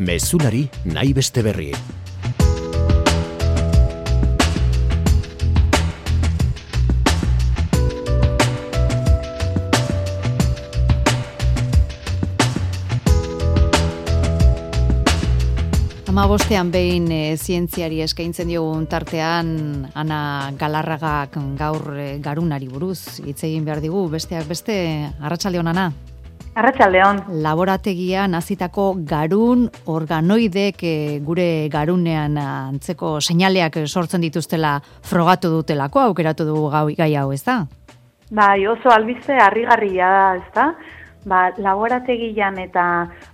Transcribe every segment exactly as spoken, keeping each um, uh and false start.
Mezulari nahi beste berri. Hamabostean behin e, zientziari eskaintzen diogun tartean Ana Galarragak gaur e, garunari buruz hitz egin behar digu, besteak beste. Arratsaldeon, Ana. Arratsaldeon. Laborategian hazitako garun organoidek e, gure garunean antzeko seinaleak sortzen dituztela frogatu dutelako, aukeratu dugu gai hau, ez da? Bai, oso albiste harrigarria da, ez da? Ba, laborategian eta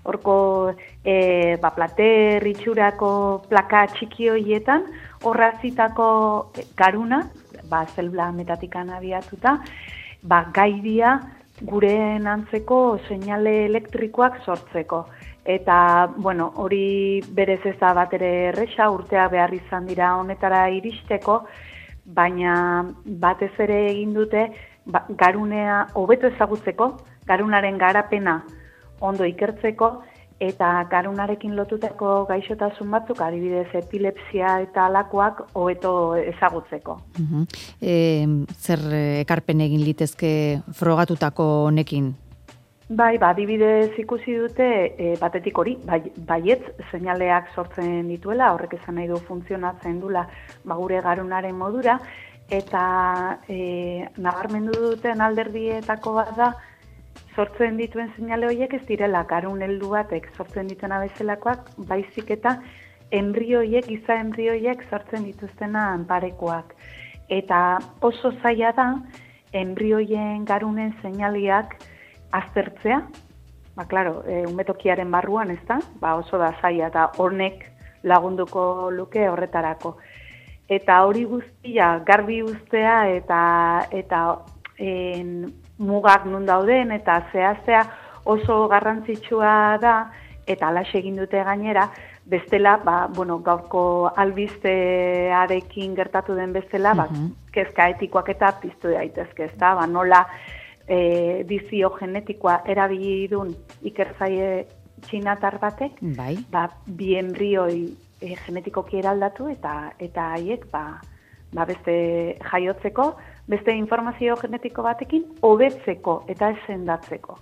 horko e, ba, plater itxurako plaka txiki horietan horrazitako garuna, ba, zelula metatikan abiatuta, ba, gaidia gure antzeko seinale elektrikoak sortzeko. Eta, bueno, hori berez ez da bat ere erresa, urteak behar izan dira honetara iristeko, baina batez ere egin dute ba, garunea hobeto ezagutzeko, garunaren garapena ondo ikertzeko eta garunarekin lotutako gaixotasun batzuk, adibidez epilepsia eta alakoak hobeto ezagutzeko. Uh-huh. E, zer ekarpen egin litezke frogatutako honekin? Bai, ba, adibidez ikusi dute e, batetik hori, bai, baietz seinaleak sortzen dituela, horrek esan nahi du funtzionatzen dula ba, gure garunaren modura, eta e, nabarmendu duten alderdietako bat da, sortzen dituen seinale horiek ez direla garun heldu batek sortzen dituen abezelakoak, baizik eta enbrioiek, giza enbrioiek sortzen dituztenan parekoak. Eta oso zaila da enbrioien garunen seinaleak aztertzea, ba, klaro, e, umetokiaren barruan, ez da? Ba, oso da zaila eta honek lagunduko luke horretarako. Eta hori guztia garbi uztea eta eta en, mugak nun dauden eta zehaztea oso garrantzitsua da eta alaxe egin dute gainera, bestela, ba, bueno, gaurko albistearekin gertatu den bestela, ba, uh-huh. kezka etikoak eta piztu daitezke, ez da, ba, nola e, dizio genetikoa erabili dun ikertzaile txinatar batek, bai. Ba, bi enbrioi e, genetikoki eraldatu eta eta haiek, ba, ba, beste jaiotzeko, beste informazio genetiko batekin hobetzeko eta ez sendatzeko.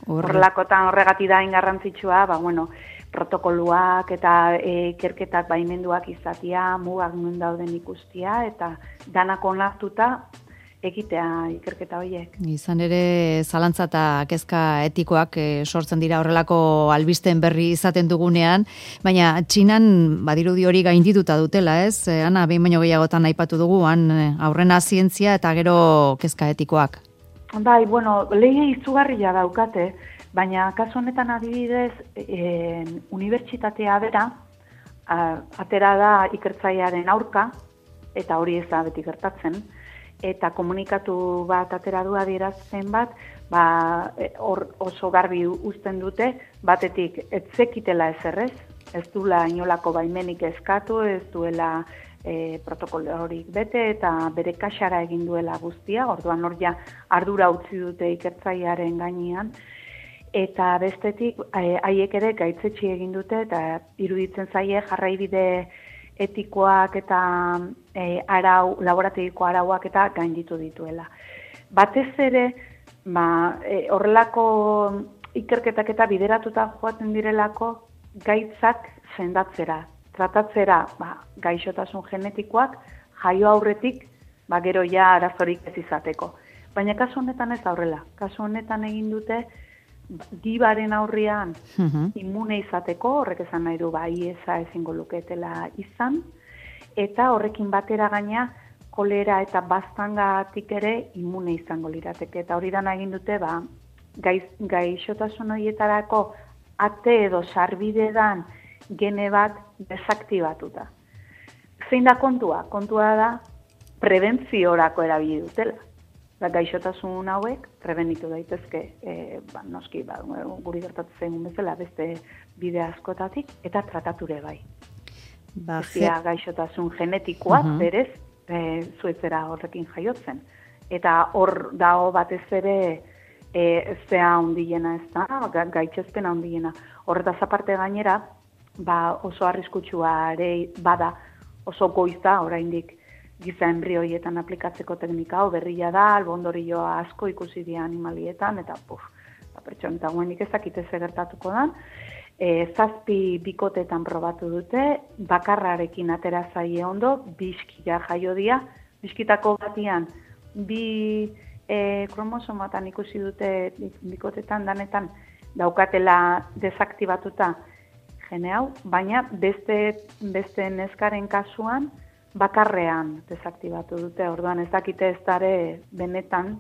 Horrelakotan horregatik da garrantzitsua, ba, bueno, protokoluak eta ikerketak baimenduak izatea, mugak nun dauden ikustia eta danak onartuta egitea ikerketa horiek. Izan ere, zalantza eta kezka etikoak e, sortzen dira horrelako albisten berri izaten dugunean, baina Txinan badirudi hori gaindituta dutela, ez? E, Ana, behin baino gehiagotan aipatu dugu, han aurrena zientzia eta gero kezka etikoak. Bai, bueno, lege izugarria daukate, baina kasu honetan adibidez, e, unibertsitatea bera, a, atera da ikertzailearen aurka, eta hori ez da beti gertatzen, eta komunikatu bat atera du adierazpen bat, ba, or, oso garbi uzten dute, batetik ez zekitela ezerrez, ez duela inolako baimenik eskatu, ez duela e, protokolorik bete, eta bere kaxara egin duela guztia, orduan hor ja ardura utzi dute ikertzailearen gainean, eta bestetik haiek ere gaitzetsi egin dute, eta iruditzen zaie jarraibide etikoak eta e, arau, laborategiko arauak eta gainditu dituela. Batez ere, ba, e, horrelako ikerketak eta bideratuta joaten direlako gaitzak sendatzera, tratatzera ba, gaixotasun genetikoak jaio aurretik, ba, gero ja arazorik ez izateko. Baina kasu honetan ez aurrela, kasu honetan egin dute gibaren aurrian uh-huh. immune izateko, horrek esan nahi du ba, iesa ezingo luketela izan, eta horrekin batera gaina kolera eta baztangatik ere immune izango lirateke. Eta hori dana egin dute, ba, gaiz, gaixotasun horietarako ate edo sarbidedan gene bat desaktibatuta. Zein da kontua? Kontua da prebentziorako erabili dutela. Ba, gaixotasun hauek prebenitu daitezke, e, ba, noski, ba, guri gertatzen bezala beste bide askotatik, eta tratature bai. Ba, Ezia gaixotasun genetikoa, uh-huh. berez, e, zuetzera horrekin jaiotzen. Eta hor dago batez ere e, zea handiena ez da, gaitxezpena handiena. Horretaz aparte gainera, ba, oso arriskutsua ere bada, oso goiza oraindik giza embrioietan aplikatzeko teknika hau berria da, albondorioa asko ikusi dira animalietan, eta puf, ba, pertsona guenik ezakite ze gertatuko da. E, zazpi bikotetan probatu dute, bakarrarekin atera zaie ondo, biskila jaio dia, biskitako batian, bi e, kromosomatan ikusi dute bikotetan danetan daukatela desaktibatuta gene hau, baina beste, beste neskaren kasuan bakarrean desaktibatu dute, orduan ez dakite ez dare benetan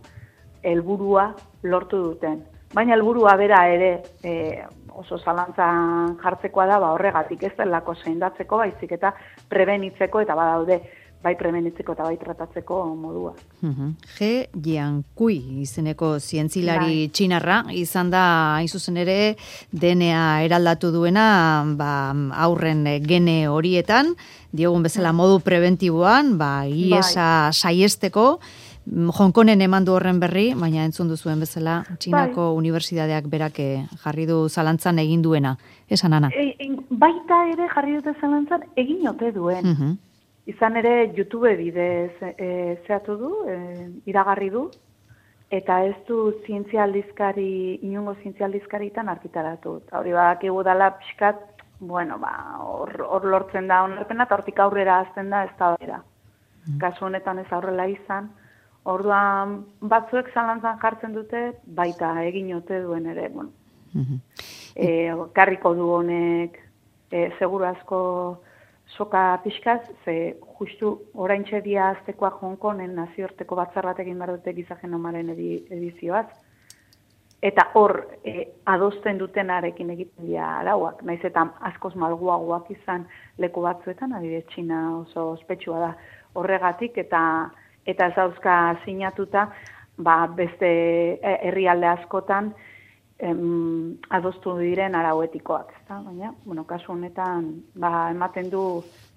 helburua lortu duten. Baina helburua bera ere e, oso zalantzan jartzekoa da, ba, horregatik ez delako seindatzeko, baizik eta prebenitzeko, eta badaude bai prebenitzeko eta bai tratatzeko modua. Uh-huh. Ge Jiankui izeneko zientzilari bai. Txinarra, izan da, hain zuzen ere, D N A eraldatu duena ba, aurren gene horietan, diogun bezala modu preventiboan, ba, iesa bai. Saiesteko, Hongkonen eman du horren berri, baina entzun duzuen bezala, Txinako bai. Unibertsitateak berak jarri du zalantzan egin duena. Esan, Ana? E, e, baita ere jarri dute zalantzan egin ote duen. Uh-huh. Izan ere YouTube bidez e, zehatu du, e, iragarri du, eta ez du zientzia aldizkari, inungo zientzia aldizkaritan argitaratu. Hori badakigu dala pixkat, bueno, ba, hor lortzen da onarpena, eta hortik aurrera azten da ez da bera. Uh-huh. Kasu honetan ez aurrela izan, orduan batzuek zalantzan jartzen dute, baita egin ote duen ere, bueno. Uh-huh. E, karriko du honek, e, seguru asko soka pixkaz, ze justu oraintxe dia aztekoa Hongkonen nazioarteko batzar bat egin behar dute giza genomaren edizioaz, eta hor e, adosten dutenarekin egiten dira arauak, naiz eta askoz malguagoak izan leku batzuetan, adibidez Txina oso ospetsua da horregatik, eta eta ez dauzka sinatuta, ba, beste herrialde askotan em, adostu diren arauetikoak, ezta? Baina, bueno, kasu honetan, ba, ematen du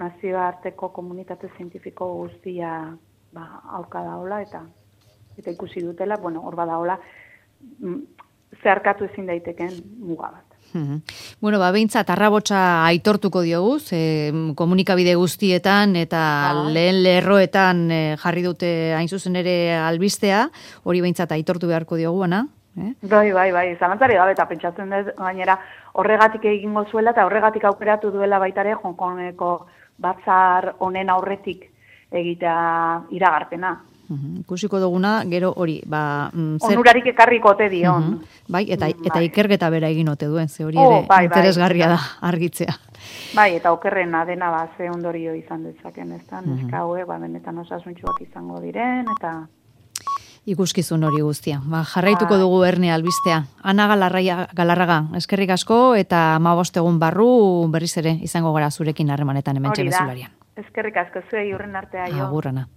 nazioarteko komunitate zientifiko guztia ba, aurka daola, eta eta ikusi dutela, bueno, hor badaola, zeharkatu ezin daiteken muga bat. Uh-huh. Bueno, ba, behintzat, arrabotsa aitortuko diogu, ze komunikabide guztietan eta ah. lehen lerroetan e, jarri dute hain zuzen ere albistea, hori behintzat aitortu beharko diogu, Ana? Eh? Bai, bai, bai, zalantzari gabe, eta pentsatzen dut gainera horregatik egingo zuela, eta horregatik aukeratu duela baitare Hongkongeko batzar honen aurretik egitea iragarpena. Uh-huh. Ikusiko duguna, gero hori, ba... Mm, zer... Onurarik ekarriko ote dion. Uh-huh. Bai, eta, eta bai. Ikerketa bera egin ote duen, ze hori ere oh, bai, interesgarria bai. Da argitzea. Bai, eta okerrena dena ba, ze ondorio izan dezaken, ez da, uh-huh. neska haue, ba, benetan osasuntxuak izango diren, eta... Ikuskizun hori guztia. Ba, jarraituko dugu erne albistea. Ana Galarraga, Galarraga, eskerrik asko, eta hamabost egun barru berriz ere izango gara zurekin harremanetan hementxe bezularian. Eskerrik asko, zuei urren artea jo. Agur, Ana.